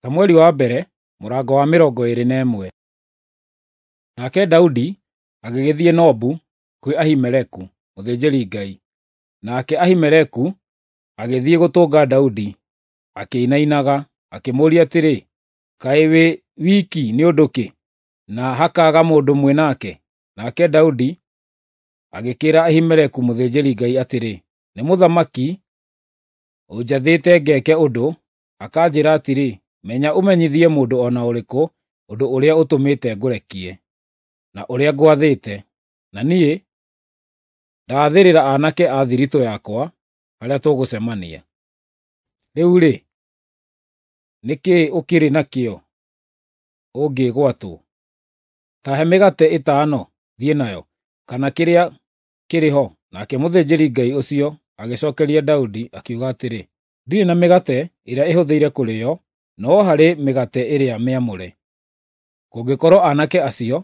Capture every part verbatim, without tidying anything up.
Samueli wa mbere mũrango wa mĩrongo ĩĩrĩ na ĩmwe. Nake Daudi agĩgĩthiĩ Nobu kwĩ Ahimeleku mũthĩnjĩri-Ngai, nake Ahimeleku agĩthiĩ gũtũnga Daudi akĩinainaga, akĩmũũria atĩrĩ, “Kaĩ wĩ wiki nĩ ũndũ kĩ, na hakaaga mũndũ mwĩ nake?” Nake Daudi agĩkĩĩra Ahimeleku mũthĩnjĩri-Ngai atĩrĩ, “Nĩ mũthamaki ũnjathĩte ngeke ũndũ, akanjĩĩra atĩrĩ, ‘Menya ũmenyithie mũndũ o na ũrĩkũ ũndũ ũrĩa ũtũmĩte ngũrekie, na ũrĩa ngwathĩte.’ Na niĩ ndaathĩrĩra aanake a thiritũ yakwa harĩa tũgũcemania. Rĩu-rĩ, nĩ kĩĩ ũkĩrĩ nakĩo ũngĩgwatwo? Ta he mĩgate ĩtano thiĩ nayo, kana kĩrĩa kĩrĩ ho.” Nake mũthĩnjĩri-Ngai ũcio agĩcookeria Daudi, akiuga atĩrĩ, “Ndirĩ na mĩgate ĩrĩa ĩhũthĩire kũrĩĩo, no harĩ mĩgate ĩrĩa mĩamũre, kũngĩkorwo aanake acio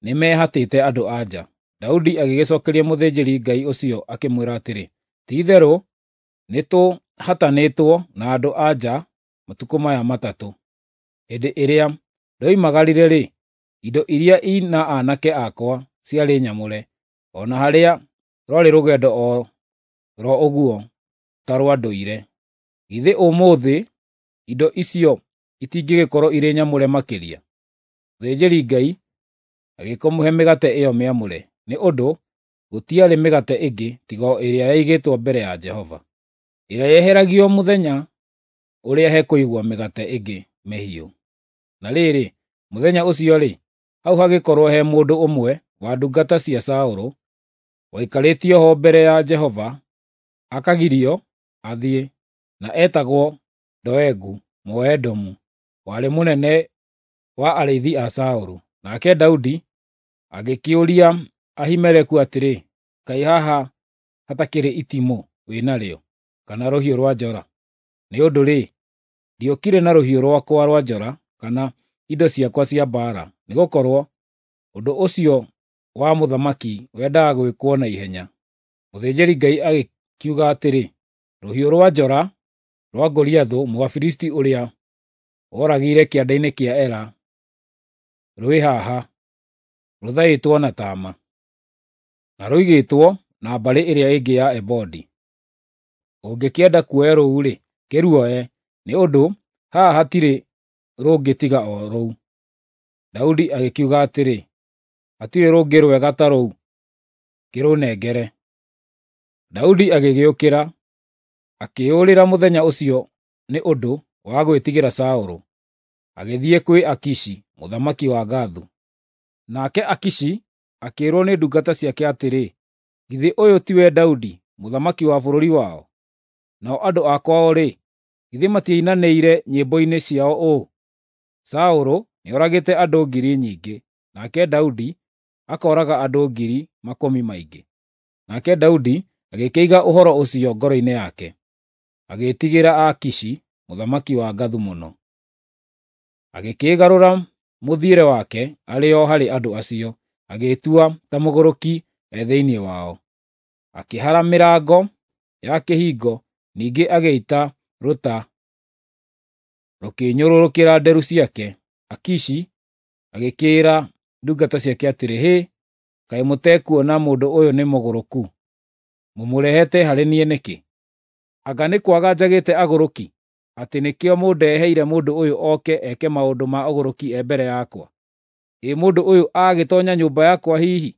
nĩmehatĩte andũ-a-nja.” Daudi agĩgĩcookeria mũthĩnjĩri-Ngai ũcio akĩmwĩra atĩrĩ, “Ti-itherũ nĩtũhatanĩtwo na andũ-a-nja matukũ maya matatũ. Hĩndĩ ĩrĩa ndoimagarire-rĩ, indo iria i na aanake akwa ciarĩ nyamũre, o na harĩa rwarĩ rũgendo o ro ũguo ta rwa ndũire. Githĩ ũmũthĩ indo icio itingĩgĩkorwo irĩ nyamũre makĩria?” Mũthĩnjĩri-Ngai agĩkĩmũhe mĩgate ĩyo mĩamũre, nĩ ũndũ gũtiarĩ mĩgate ĩngĩ tiga o ĩrĩa yaigĩtwo mbere ya Jehova, ĩrĩa yeheragio mũthenya ũrĩa hekũigwo mĩgate ĩngĩ mĩhiũ. Na rĩrĩ, mũthenya ũcio-rĩ, hau hagĩkorwo he mũndũ ũmwe wa ndungata cia Saũlũ waikarĩtio ho mbere ya Jehova akagirio athiĩ, na etagwo Doegu Mũedomu, warĩ mũnene wa arĩithi a Saũlũ. Nake Daudi agĩkĩũria Ahimeleku atĩrĩ, “Kaĩ haha hatakĩrĩ itimũ wĩ narĩo, kana rũhiũ rwa njora? Nĩ ũndũ-rĩ, ndiokire na rũhiũ rwakwa rwa njora kana indo ciakwa cia mbaara, nĩgũkorwo ũndũ ũcio wa mũthamaki wendaga gwĩkwo na ihenya.” Mũthĩnjĩri-Ngai agĩkiuga atĩrĩ, “Rũhiũ rwa njora rwa Goliathũ Mũfilisti ũrĩa woragĩire kĩanda-inĩ kĩa Ela rwĩ haha, rũthaĩtwo na taama, na rũigĩtwo na mbarĩ ĩrĩa ĩngĩ ya ebodi. Ũngĩkĩenda kuoya rũu-rĩ, kĩruoe, nĩ ũndũ haha hatirĩ rũngĩ tiga o rũu.” Daudi agĩkiuga atĩrĩ, “Hatirĩ rũngĩ rwega ta rũu, kĩrũnengere.” Daudi agĩgĩũkĩra, akĩĩyũrĩra mũthenya ũcio nĩ ũndũ wa gwĩtigĩra Saũlũ, agĩthiĩ kwĩ Akishi mũthamaki wa Gathu. Nake Akishi akĩĩrwo nĩ ndungata ciake atĩrĩ, “Githĩ ũyũ tiwe Daudi, mũthamaki wa bũrũri wao? Nao andũ a kwao-rĩ, githĩ matiainanĩire nyĩmbo-inĩ ciao ũũ: ‘Saũlũ nĩoragĩte andũ ngiri nyingĩ, nake Daudi akooraga andũ ngiri makũmi maingĩ’?” Nake Daudi agĩkĩiga ũhoro ũcio ngoro-inĩ yake, agĩĩtigĩra Akishi mũthamaki wa Gathu mũno. Agĩkĩgarũra mũthiĩre wake arĩ o harĩ andũ acio, agĩĩtua ta mũgũrũki e thĩinĩ wao. Akĩhara mĩrango ya kĩhingo, ningĩ agĩita rũta rũkĩnyũrũrũkĩra nderu ciake. Akishi agĩkĩĩra ndungata ciake atĩrĩ, “Hĩ, kaĩ mũtekuona mũndũ ũyũ nĩ mũgũrũku? Mũmũrehete harĩ niĩ nĩkĩ? Anga nĩ kwaga njagĩte agũrũki, atĩ nĩkĩo mũndeheire mũndũ ũyũ oke eke maũndũ ma ũgũrũki e mbere yakwa? Ĩ mũndũ ũyũ agĩtoonya nyũmba yakwa hihi?”